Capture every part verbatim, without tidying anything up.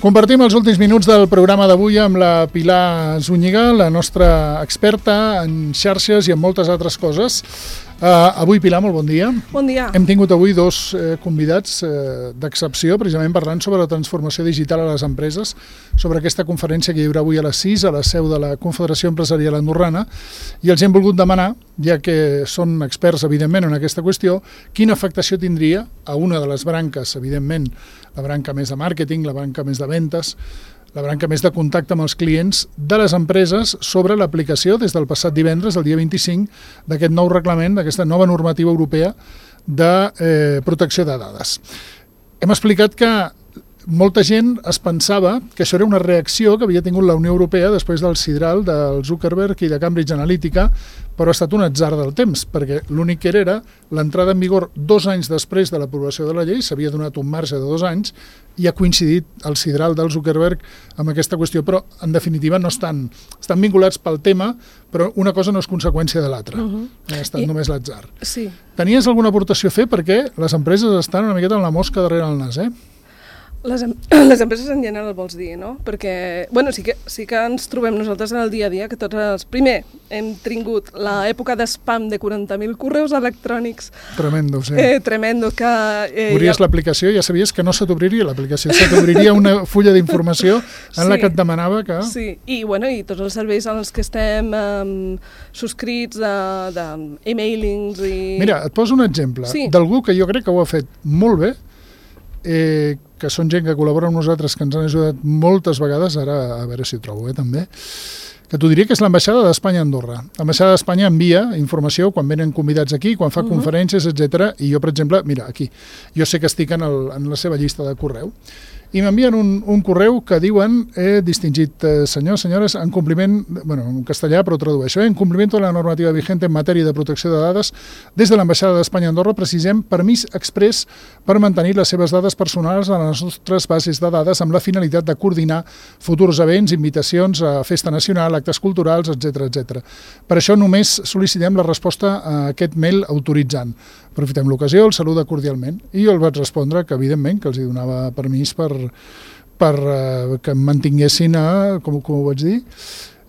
Compartim els últims minuts del programa d'avui amb la Pilar Zúñiga, la nostra experta en xarxes i en moltes altres coses. Uh, avui, Pilar, molt bon dia. Bon dia. Hem tingut avui dos eh, convidats eh, d'excepció, precisament parlant sobre la transformació digital a les empreses, sobre aquesta conferència que hi haurà avui a les sis a la seu de la Confederació Empresarial Andorrana, i els hem volgut demanar, ja que són experts, evidentment, en aquesta qüestió, quina afectació tindria a una de les branques, evidentment, la branca més de màrqueting, la branca més de ventes, la branca més de contacte amb els clients de les empreses sobre l'aplicació des del passat divendres, el dia vint-i-cinc, d'aquest nou reglament, d'aquesta nova normativa europea de eh, protecció de dades. Hem explicat que molta gent es pensava que això era una reacció que havia tingut la Unió Europea després del sidral del Zuckerberg i de Cambridge Analytica, però ha estat un atzar del temps, perquè l'únic que era era l'entrada en vigor dos anys després de l'aprovació de la llei, s'havia donat un marge de dos anys, i ha coincidit el sidral del Zuckerberg amb aquesta qüestió, però en definitiva no estan, estan vinculats pel tema, però una cosa no és conseqüència de l'altra. Uh-huh. Ha estat I... només l'atzar. Sí. Tenies alguna aportació a fer? Perquè les empreses estan una miqueta amb la mosca darrere el nas, eh? Les, em les empreses en general vols dir, no? Perquè, bueno, sí que, sí que ens trobem nosaltres en el dia a dia que tots els... Primer, hem tingut l'època d'espam de quaranta mil correus electrònics. Tremendo, sí. Eh, tremendo, que... Eh, Obries ja... l'aplicació i ja sabies que no se t'obriria l'aplicació, se t'obriria una fulla d'informació en sí, la que et demanava que... Sí, i, bueno, i tots els serveis en els que estem um, subscrits d'e-mailings i... Mira, et poso un exemple sí. d'algú que jo crec que ho ha fet molt bé, eh, que són gent que col·labora amb nosaltres, que ens han ajudat moltes vegades, ara a veure si ho trobo eh, també, que t'ho diria que és l'ambaixada d'Espanya a Andorra. L'ambaixada d'Espanya envia informació quan venen convidats aquí, quan fa uh-huh. conferències, etcètera. I jo, per exemple, mira, aquí, jo sé que estic en, el, en la seva llista de correu, i m'envien un, un correu que diuen, he distingit eh, senyors, senyores, en compliment, bueno, en castellà, però tradueixo, eh, en compliment de la normativa vigente en matèria de protecció de dades, des de l'ambaixada d'Espanya a Andorra precisem permís express per mantenir les seves dades personals a les nostres bases de dades amb la finalitat de coordinar futurs events, invitacions a festa nacional, actes culturals, etcètera, etcètera. Per això només sol·licitem la resposta a aquest mail autoritzant. Aprofitem l'ocasió, el saluda cordialment. I jo el vaig respondre que, evidentment, que els hi donava permís per, per uh, que em mantinguessin a, com, com ho vaig dir,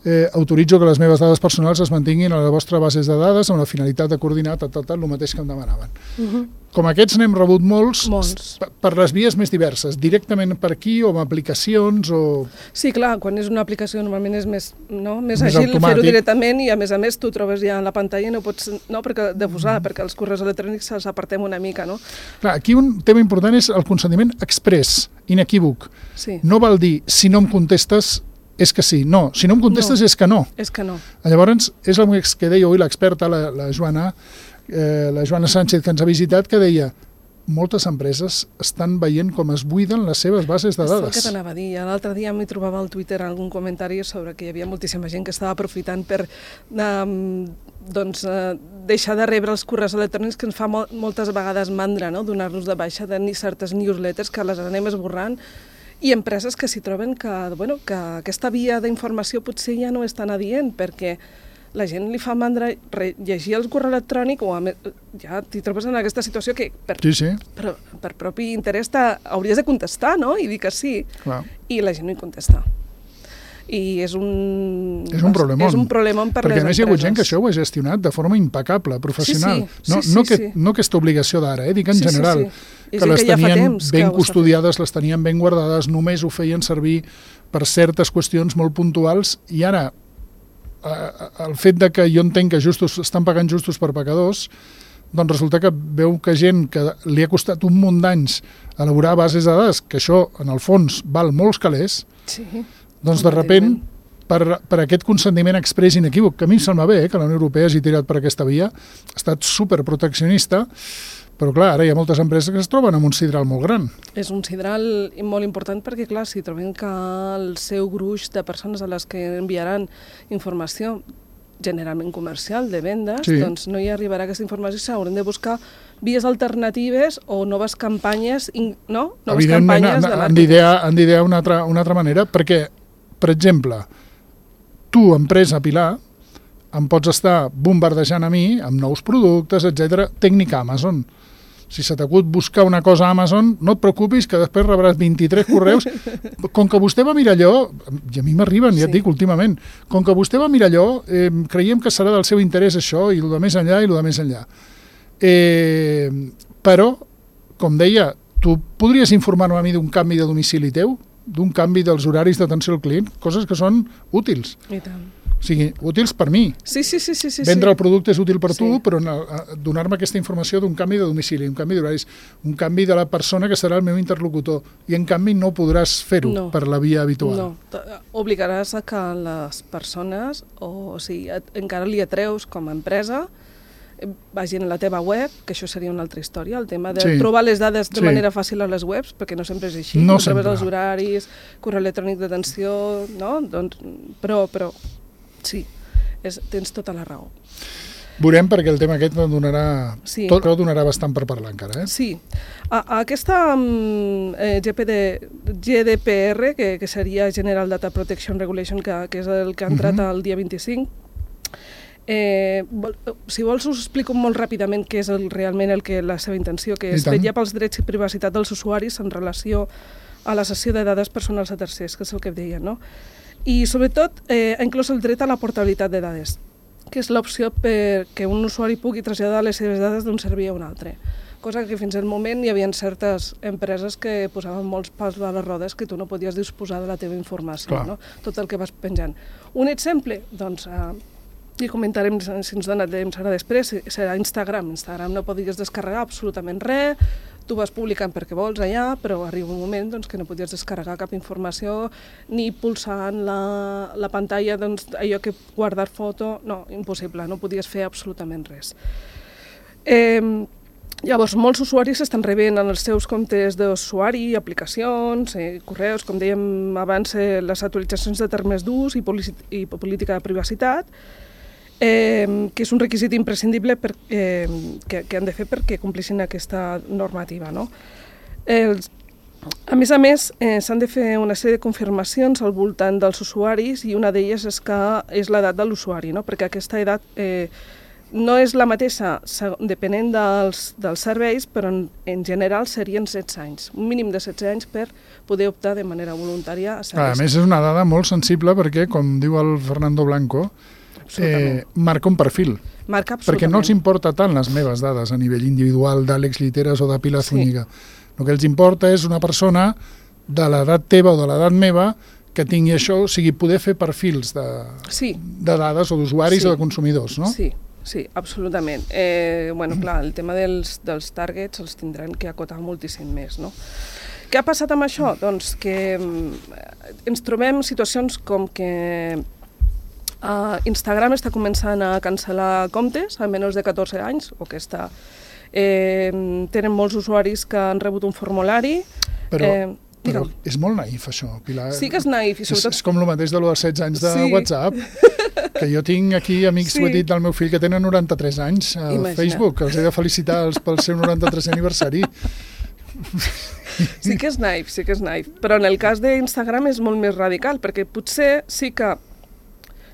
eh, autoritzo que les meves dades personals es mantinguin a la vostra bases de dades amb la finalitat de coordinar tot, tot, tot el mateix que em demanaven. Uh-huh. Com aquests n'hem rebut molts, molts. per les vies més diverses, directament per aquí o amb aplicacions o... Sí, clar, quan és una aplicació normalment és més, no? més, més àgil fer-ho directament i a més a més tu trobes ja en la pantalla i no pots, no, perquè de posar, mm. perquè els correus electrònics els apartem una mica, no? Clar, aquí un tema important és el consentiment express, inequívoc. Sí. No val dir, si no em contestes, és que sí. No, si no em contestes no, és que no. És que no. Llavors, és el que deia avui l'experta, la, la Joana, eh, la Joana Sánchez, que ens ha visitat, que deia moltes empreses estan veient com es buiden les seves bases de dades. És el que t'anava a dir. L'altre dia m'hi trobava al Twitter algun comentari sobre que hi havia moltíssima gent que estava aprofitant per um, doncs, uh, deixar de rebre els correus electrònics que ens fa mol moltes vegades mandra, no? Donar-los de baixa de certes newsletters que les anem esborrant, i empreses que s'hi troben que, bueno, que aquesta via d'informació potser ja no és tan adient, perquè la gent li fa mandra llegir el correu electrònic o a més, ja t'hi trobes en aquesta situació que per, sí, sí. per, per propi interès hauries de contestar, no? I dir que sí. Clar. I la gent no hi contesta. I és un... És un problemon. És un problemon per perquè les a més empreses. Hi ha hagut gent que això ho ha gestionat de forma impecable, professional. Sí, sí, no, sí, no, sí, que, sí. no aquesta obligació d'ara, eh? Dic en sí, general, sí, sí. que les que ja tenien temps, ben custodiades, les tenien ben guardades, només ho feien servir per certes qüestions molt puntuals, i ara el fet de que jo entenc que justos, estan pagant justos per pecadors, doncs resulta que veu que gent que li ha costat un munt d'anys elaborar bases de dades, que això en el fons val molts calés, sí, doncs de repent per, per aquest consentiment exprés inequívoc, que a mi em sembla bé eh, que la Unió Europea hagi tirat per aquesta via, ha estat superproteccionista, però clar, ara hi ha moltes empreses que es troben amb un sidral molt gran. És un sidral molt important perquè, clar, si trobem que el seu gruix de persones a les que enviaran informació generalment comercial, de vendes, sí. doncs no hi arribarà aquesta informació, s'hauran de buscar vies alternatives o noves campanyes, no? Noves campanyes de màrqueting. Han d'idear una, altra, una altra manera, perquè, per exemple, tu, empresa, Pilar, em pots estar bombardejant a mi amb nous productes, etcètera, tècnica Amazon. Si se t'acut buscar una cosa a Amazon, no et preocupis, que després rebràs vint-i-tres correus. Com que vostè va mirar allò, i a mi m'arriben, ja et dic, últimament, com que vostè va mirar allò, eh, creiem que serà del seu interès això, i el de més enllà, i el de més enllà. Eh, però, com deia, tu podries informar-me a mi d'un canvi de domicili teu, d'un canvi dels horaris d'atenció al client, coses que són útils. I tant. O sigui, útils per mi. Sí, sí, sí. sí, sí. Vendre el producte és útil per tu, sí. però donar-me aquesta informació d'un canvi de domicili, un canvi d'horaris, un canvi de la persona que serà el meu interlocutor. I, en canvi, no podràs fer-ho no. per la via habitual. No, obligaràs a que les persones, o, o sigui, encara li atreus com a empresa, vagin a la teva web, que això seria una altra història, el tema de sí. trobar les dades de sí. manera fàcil a les webs, perquè no sempre és així, no a través dels horaris, correu electrònic d'atenció, no? Doncs, però, però, sí, és, tens tota la raó. Veurem, perquè el tema aquest donarà, sí. tot donarà bastant per parlar encara. Eh? Sí. A, a aquesta um, eh, G P D, G D P R, que, que seria General Data Protection Regulation, que, que és el que ha entrat uh-huh. el dia vint-i-cinc, Eh, vol, si vols us explico molt ràpidament què és el, realment el que la seva intenció, que és vetllar pels drets i privacitat dels usuaris en relació a la cessió de dades personals a tercers, que és el que deia, no? I sobretot eh, ha inclòs el dret a la portabilitat de dades, que és l'opció perquè un usuari pugui traslladar les seves dades d'un servei a un altre, cosa que fins al moment hi havia certes empreses que posaven molts pals a les rodes que tu no podies disposar de la teva informació, no? Tot el que vas penjant. Un exemple, doncs, eh, i comentarem si ens dona temps ara després, serà Instagram. Instagram no podies descarregar absolutament res, tu vas publicant perquè vols allà, però arriba un moment doncs, que no podies descarregar cap informació, ni pulsant la, la pantalla, doncs, allò que guardar foto, no, impossible, no podies fer absolutament res. Eh, llavors, molts usuaris estan rebent en els seus comptes d'usuari, aplicacions, eh, correus, com dèiem abans, eh, les actualitzacions de termes d'ús i, i política de privacitat, Eh, que és un requisit imprescindible per, eh, que, que han de fer perquè complixin aquesta normativa. No? Els, a més a més, eh, s'han de fer una sèrie de confirmacions al voltant dels usuaris i una d'elles és que és l'edat de l'usuari, no? Perquè aquesta edat eh, no és la mateixa depenent dels, dels serveis, però en, en general serien setze anys, un mínim de setze anys per poder optar de manera voluntària a serveis. A més, és una dada molt sensible perquè, com diu el Fernando Blanco, Eh, marca un perfil, marca perquè no els importa tant les meves dades a nivell individual d'Àlex Lliteres o de Pilar Zúñiga. Sí. El que els importa és una persona de l'edat teva o de l'edat meva que tingui això, o sigui, poder fer perfils de, sí. de dades o d'usuaris sí. o de consumidors, no? Sí, sí, absolutament. Eh, bueno, clar, el tema dels, dels targets els tindran que acotar moltíssim més, no? Què ha passat amb això? Doncs que ens trobem situacions com que Uh, Instagram està començant a cancel·lar comptes a menys de catorze anys, o que està... Eh, tenen molts usuaris que han rebut un formulari... Però, eh, però és molt naïf, això, Pilar. Sí que és naïf. I sobretot... És, és com el mateix de lo dels setze anys de sí. WhatsApp, que jo tinc aquí amics, sí. ho he dit, del meu fill, que tenen noranta-tres anys a Imagina. Facebook, que els he de felicitar pel seu noranta-tresè aniversari. Sí que és naïf, sí que és naïf. Però en el cas d'Instagram és molt més radical, perquè potser sí que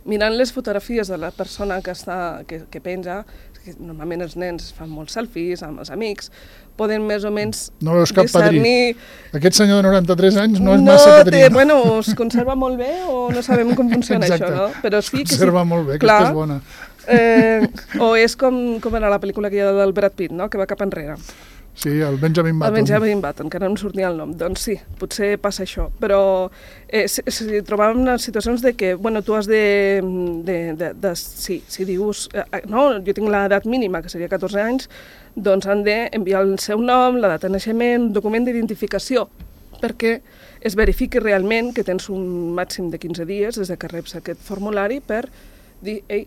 mirant les fotografies de la persona que, està, que, que penja, que normalment els nens fan molts selfies amb els amics, poden més o menys no veus cap discernir... padrí. Aquest senyor de noranta-tres anys no és no massa padrí. Té, bueno, es conserva molt bé o no sabem com funciona Exacte. això, no? Però sí es conserva que sí, molt bé, clar, aquesta és bona. Eh, o és com, com era la pel·lícula que hi ha del Brad Pitt, no? Que va cap enrere. Sí, el Benjamin Button. El Benjamin Button, que no em sortia el nom. Doncs sí, potser passa això. Però eh, si, si trobàvem en situacions de que, bueno, tu has de... de, de, de sí, si dius... Eh, no, jo tinc l'edat mínima, que seria catorze anys, doncs han d'enviar el seu nom, la data de naixement, un document d'identificació, perquè es verifiqui realment que tens un màxim de quinze dies des que reps aquest formulari per dir, ei,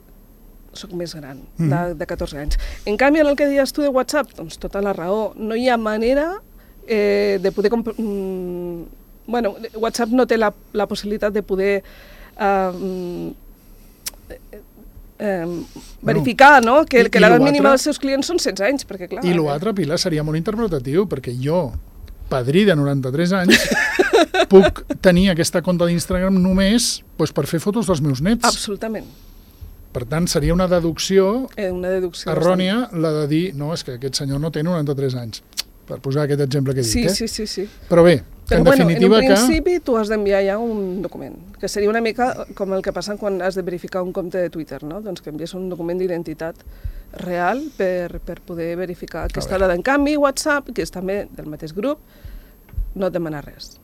soc més gran, de, de catorze anys. En canvi, en el que deies tu de WhatsApp, doncs tota la raó, no hi ha manera eh, de poder... Mm, bueno, WhatsApp no té la, la possibilitat de poder eh, eh, eh, verificar, no?, que, que l'edat mínima dels seus clients són setze anys, perquè clar... I l'altre, Pilar, seria molt interpretatiu, perquè jo, padrí de noranta-tres anys, puc tenir aquesta compte d'Instagram només doncs, per fer fotos dels meus nets. Absolutament. Per tant, seria una deducció, eh, una deducció errònia bastant. La de dir, no, és que aquest senyor no té noranta-tres anys, per posar aquest exemple que he dit. Sí, eh? sí, sí, sí. Però bé, que Però, en definitiva bueno, en un principi que... tu has d'enviar ja un document, que seria una mica com el que passa quan has de verificar un compte de Twitter, no? Doncs que envies un document d'identitat real per, per poder verificar aquesta dada. En canvi, WhatsApp, que és també del mateix grup, no et demana res.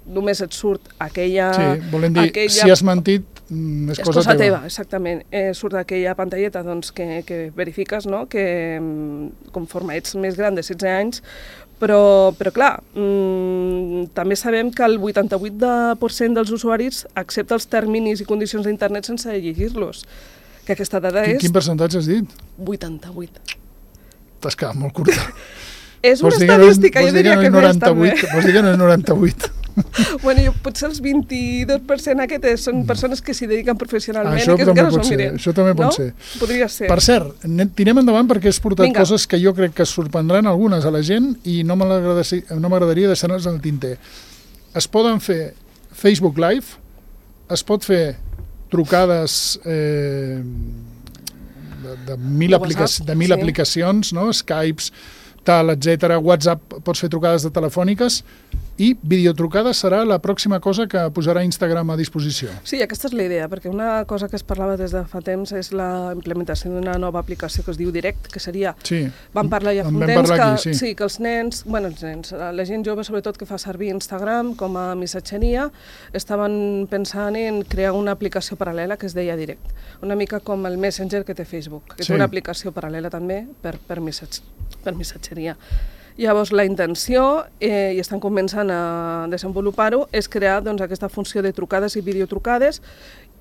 Només et surt aquella... Sí, volem dir, aquella... si has mentit, és, és cosa, cosa teva. teva. Exactament. Eh, surt aquella pantalleta doncs, que, que verifiques, no? Que conforme ets més gran de setze anys, però, però clar, mmm, també sabem que el vuitanta-vuit per cent dels usuaris accepta els terminis i condicions d'internet sense llegir-los. Que aquesta dada quin, és... Quin percentatge has dit? vuitanta-vuit. T'has quedat molt curta. És una estadística, jo diria que no és també. Vols dir que no és noranta-vuit? Bueno, jo, potser el vint-i-dos per cent aquest són persones que s'hi dediquen professionalment això i que encara s'ho miren. Això també pot no? ser. Podria ser. Per cert, tirem endavant perquè has portat Vinga. Coses que jo crec que sorprendran algunes a la gent i no m'agradaria deixar-les al tinter. Es poden fer Facebook Live, es pot fer trucades eh, de, de mil, de aplica WhatsApp, de mil sí. aplicacions, no? Skypes, tal, etcètera. WhatsApp, pots fer trucades de telefòniques i videotrucades serà la pròxima cosa que posarà Instagram a disposició. Sí, aquesta és la idea, perquè una cosa que es parlava des de fa temps és la implementació d'una nova aplicació que es diu Direct, que seria... Sí, vam parlar ja fa un temps que, aquí, sí. sí, que els nens, bueno, els nens, la gent jove sobretot que fa servir Instagram com a missatgeria, estaven pensant en crear una aplicació paral·lela que es deia Direct, una mica com el Messenger que té Facebook, que sí. té una aplicació paral·lela també per, per, missatge, per missatgeria. Llavors, la intenció, eh, i estan començant a desenvolupar-ho, és crear doncs, aquesta funció de trucades i videotrucades,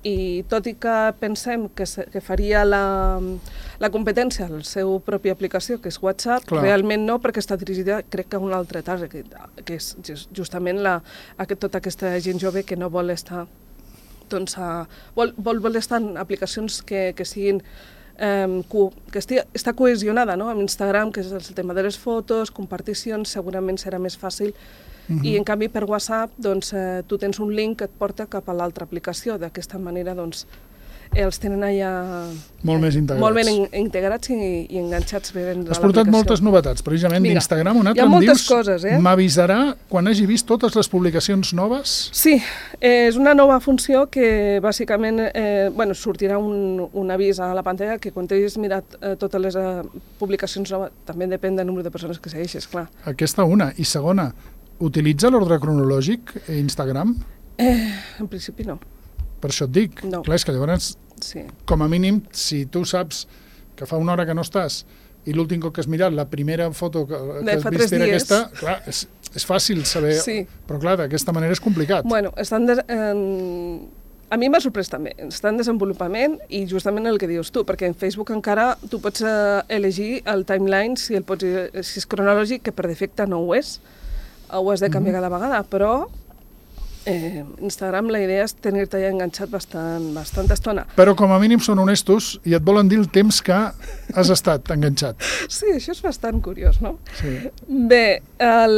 i tot i que pensem que, se, que faria la, la competència a la seva pròpia aplicació, que és WhatsApp, Clar. realment no, perquè està dirigida, crec que a un altre target, que, que és justament la, aquest, tota aquesta gent jove que no vol estar, doncs, a, vol, vol, vol estar en aplicacions que, que siguin Um, que estigui, està cohesionada, no? Amb Instagram, que és el tema de les fotos, comparticions, segurament serà més fàcil. Uh-huh. I en canvi per WhatsApp doncs, eh, tu tens un link que et porta cap a l'altra aplicació. D'aquesta manera doncs, eh, els tenen allà molt més integrats, molt ben in integrats i, i enganxats bé en Has portat moltes novetats, precisament d'Instagram. Un altre em dius, coses, eh? m'avisarà quan hagi vist totes les publicacions noves? Sí, eh, és una nova funció que bàsicament eh, bueno, sortirà un, un avís a la pantalla que quan t'hagis mirat eh, totes les eh, publicacions noves, també depèn del número de persones que segueixes, clar. Aquesta una. I segona, utilitza l'ordre cronològic Instagram? Eh, en principi no. Per això et dic. No. Clar, és que llavors, sí. com a mínim, si tu saps que fa una hora que no estàs i l'últim cop que has mirat, la primera foto que, que has vist era aquesta, clar, és, és fàcil saber, sí. però clar, d'aquesta manera és complicat. Bueno, estan de, eh, a mi m'ha sorprès també, està en desenvolupament i justament el que dius tu, perquè en Facebook encara tu pots eh, elegir el timeline si, el pots, si és cronològic, que per defecte no ho és, ho has de canviar mm-hmm. cada vegada, però Eh, Instagram la idea és tenir-te ja enganxat bastant, bastant estona. Però com a mínim són honestos i et volen dir el temps que has estat enganxat. Sí, això és bastant curiós, no? Sí. Bé, el,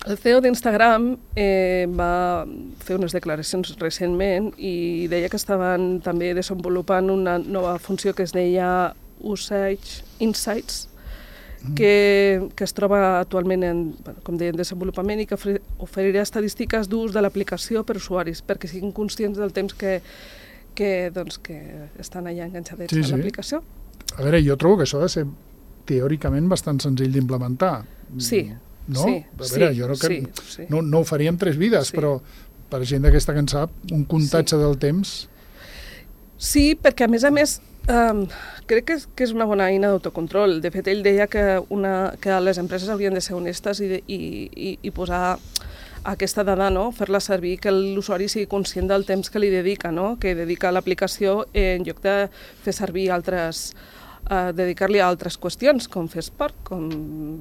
el C E O d'Instagram eh, va fer unes declaracions recentment i deia que estaven també desenvolupant una nova funció que es deia Usage Insights, Que, que es troba actualment en, com deia, en desenvolupament i que oferirà estadístiques d'ús de l'aplicació per usuaris, perquè siguin conscients del temps que, que, doncs, que estan allà enganxadets sí, a l'aplicació. Sí. A veure, jo trobo que això ha de ser teòricament bastant senzill d'implementar. Sí, no? sí. A veure, sí, jo no, que, sí, sí. no, no ho faríem tres vides, sí. però per gent d'aquesta que en sap, un comptatge sí. del temps... Sí, perquè a més a més um, crec que és, que és una bona eina d'autocontrol. De fet, ell deia que, una, que les empreses haurien de ser honestes i, de, i, i, i posar aquesta dada, no? Fer-la servir, que l'usuari sigui conscient del temps que li dedica, no? Que dedica a l'aplicació en lloc de fer servir altres... Uh, dedicar-li a altres qüestions, com fer esport, com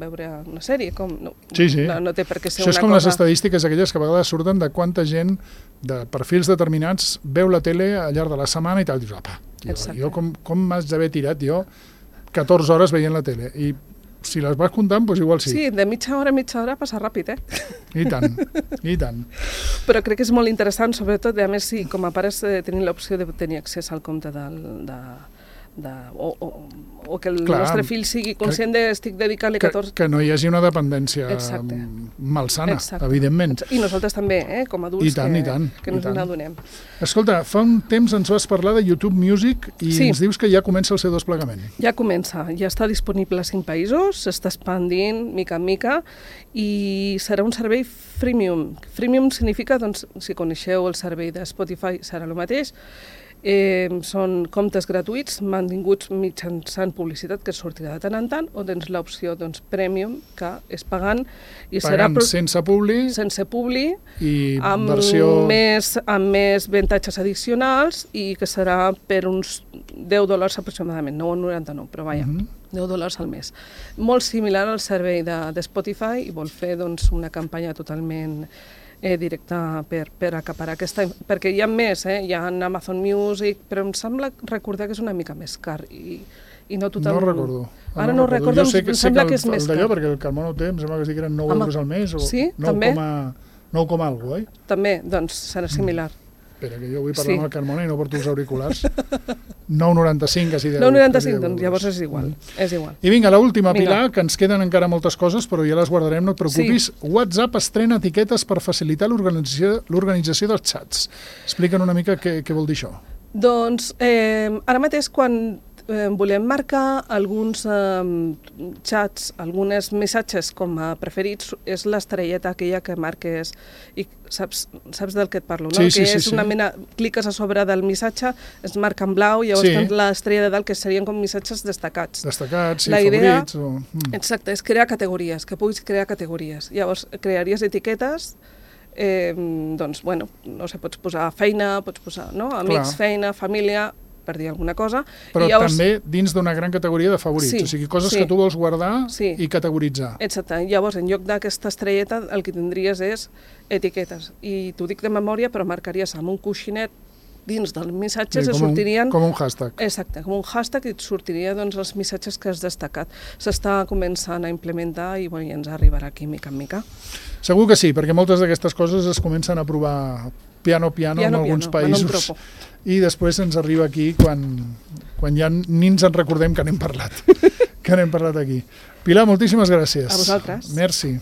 veure una sèrie, com... No, sí, sí. No, no té per què ser Això una cosa... és com les estadístiques aquelles que a vegades surten de quanta gent de perfils determinats veu la tele al llarg de la setmana i tal. Dius, apa, jo, jo com, com m'has d'haver tirat jo catorze hores veient la tele? I si les vas comptant, doncs igual sí. Sí, de mitja hora a mitja hora passa ràpid, eh? I tant, i tant. Però crec que és molt interessant, sobretot, a més, si com a pares eh, tenim l'opció de tenir accés al compte del, de, de, o, o, o que el Clar, nostre fill sigui conscient que, de estic dedicant-li catorze... Que, que no hi hagi una dependència Exacte. malsana, Exacte. evidentment. I nosaltres també, eh, com a adults, I tant, que, i tant, que ens n'adonem. Escolta, fa un temps ens vas parlar de YouTube Music i sí. ens dius que ja comença el seu desplegament. Ja comença, ja està disponible a cinc països, s'està expandint mica en mica i serà un servei freemium. Freemium significa, doncs, si coneixeu el servei de Spotify, serà el mateix. Eh, són comptes gratuïts mantinguts mitjançant publicitat que sortirà de tant en tant, o tens l'opció doncs, premium, que és pagant i pagant serà sense publi sense publi i amb, versió... més, amb més avantatges addicionals i que serà per uns deu dòlars aproximadament, nou coma noranta-nou, però vaja, uh-huh. deu dòlars al mes. Molt similar al servei de, de Spotify i vol fer doncs, una campanya totalment Eh, directa per, per acaparar aquesta... Perquè hi ha més, eh? Hi ha Amazon Music, però em sembla recordar que és una mica més car i, i no tothom... No recordo. Ara no, no recordo, jo sé que, em sembla sé que, el, que és més car. D'allò, perquè el Carmona ho té, em sembla que sí que eren nou Home, euros al mes o sí, nou també? coma algo, oi? També, doncs serà similar. Mm. Espera, que jo vull parlar Sí. amb el Carmona i no porto els auriculars. nou coma noranta-cinc, quasi deu. nou coma noranta-cinc, doncs llavors és igual, mm. és igual. I vinga, l'última, Pilar, que ens queden encara moltes coses, però ja les guardarem, no et preocupis. Sí. WhatsApp estrena etiquetes per facilitar l'organització l'organització dels xats. Explica'n una mica què, què vol dir això. Doncs eh, ara mateix quan eh, volem marcar alguns eh, xats, alguns missatges com a preferits, és l'estrelleta aquella que marques i saps, saps del que et parlo, no? Sí, sí, que és sí, una sí. mena, cliques a sobre del missatge, es marca en blau, llavors Sí. tens l'estrella de dalt que serien com missatges destacats. Destacats, sí, La idea- favorits... O... Mm. Exacte, és crear categories, que puguis crear categories. Llavors crearies etiquetes, eh, doncs, bueno, no sé, pots posar feina, pots posar, no? Amics, Clar. feina, família, per dir alguna cosa. Però I llavors, també dins d'una gran categoria de favorits, Sí, o sigui, coses sí. que tu vols guardar Sí. i categoritzar. Exacte, llavors en lloc d'aquesta estrelleta el que tindries és etiquetes. I t'ho dic de memòria, però marcaries amb un coixinet dins dels missatges Sí, i com, un, sortirien... com un hashtag. Exacte, com un hashtag i et sortiria doncs, els missatges que has destacat. S'està començant a implementar i, bueno, i ens arribarà aquí mica en mica. Segur que sí, perquè moltes d'aquestes coses es comencen a provar piano piano, Piano, en alguns piano, en un països tropo. i després ens arriba aquí quan, quan ja ni ens en recordem que n'hem parlat, que n'hem parlat aquí. Pilar, moltíssimes gràcies. A vosaltres. Merci.